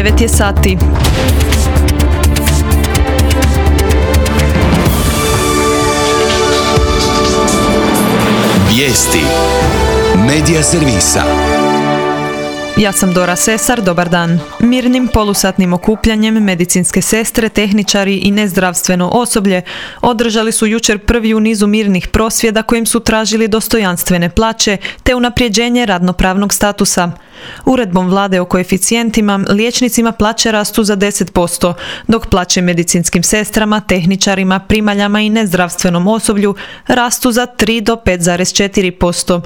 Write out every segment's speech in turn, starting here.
9 je sati. Vijesti Medija servisa. Ja sam Dora Sesar, dobar dan. Mirnim polusatnim okupljanjem medicinske sestre, tehničari i nezdravstveno osoblje održali su jučer prvi u nizu mirnih prosvjeda kojim su tražili dostojanstvene plaće te unapređenje radnopravnog statusa. Uredbom vlade o koeficijentima liječnicima plaće rastu za 10%, dok plaće medicinskim sestrama, tehničarima, primaljama i nezdravstvenom osoblju rastu za 3 do 5,4%.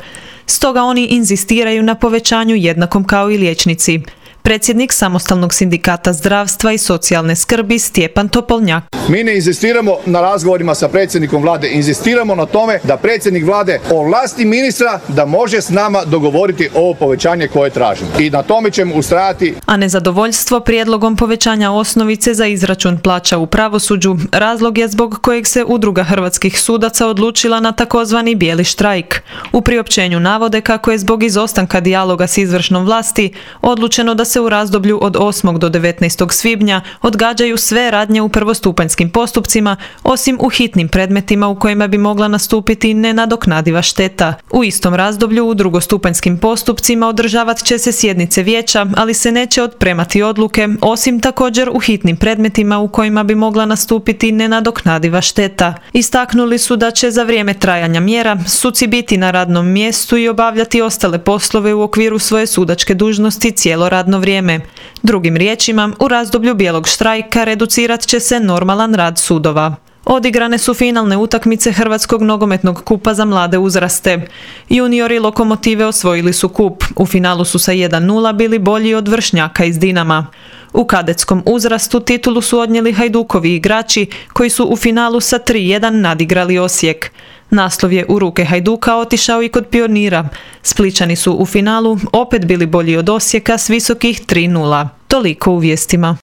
Stoga oni inzistiraju na povećanju jednakom kao i liječnici. Predsjednik Samostalnog sindikata zdravstva i socijalne skrbi Stjepan Topolnjak. Mi ne inzistiramo na razgovorima sa predsjednikom vlade, inzistiramo na tome da predsjednik vlade ovlasti ministra da može s nama dogovoriti ovo povećanje koje tražimo. I na tome ćemo ustrajati. A nezadovoljstvo prijedlogom povećanja osnovice za izračun plaća u pravosuđu razlog je zbog kojeg se Udruga hrvatskih sudaca odlučila na takozvani bijeli štrajk. U priopćenju navode kako je zbog izostanka dijaloga s izvršnom vlasti odlučeno da se u razdoblju od 8. do 19. svibnja odgađaju sve radnje u prvostupanjskim postupcima, osim u hitnim predmetima u kojima bi mogla nastupiti nenadoknadiva šteta. U istom razdoblju u drugostupanjskim postupcima održavat će se sjednice vijeća, ali se neće otpremati odluke, osim također u hitnim predmetima u kojima bi mogla nastupiti nenadoknadiva šteta. Istaknuli su da će za vrijeme trajanja mjera suci biti na radnom mjestu i obavljati ostale poslove u okviru svoje sudačke dužnosti cijelo radno vrijeme. Drugim riječima, u razdoblju bijelog štrajka reducirat će se normalan rad sudova. Odigrane su finalne utakmice Hrvatskog nogometnog kupa za mlade uzraste. Juniori Lokomotive osvojili su kup. U finalu su sa 1:0 bili bolji od vršnjaka iz Dinama. U kadetskom uzrastu titulu su odnijeli Hajdukovi igrači koji su u finalu sa 3:1 nadigrali Osijek. Naslov je u ruke Hajduka otišao i kod Pionira. Splićani su u finalu opet bili bolji od Osijeka s visokih 3:0. Toliko u vijestima.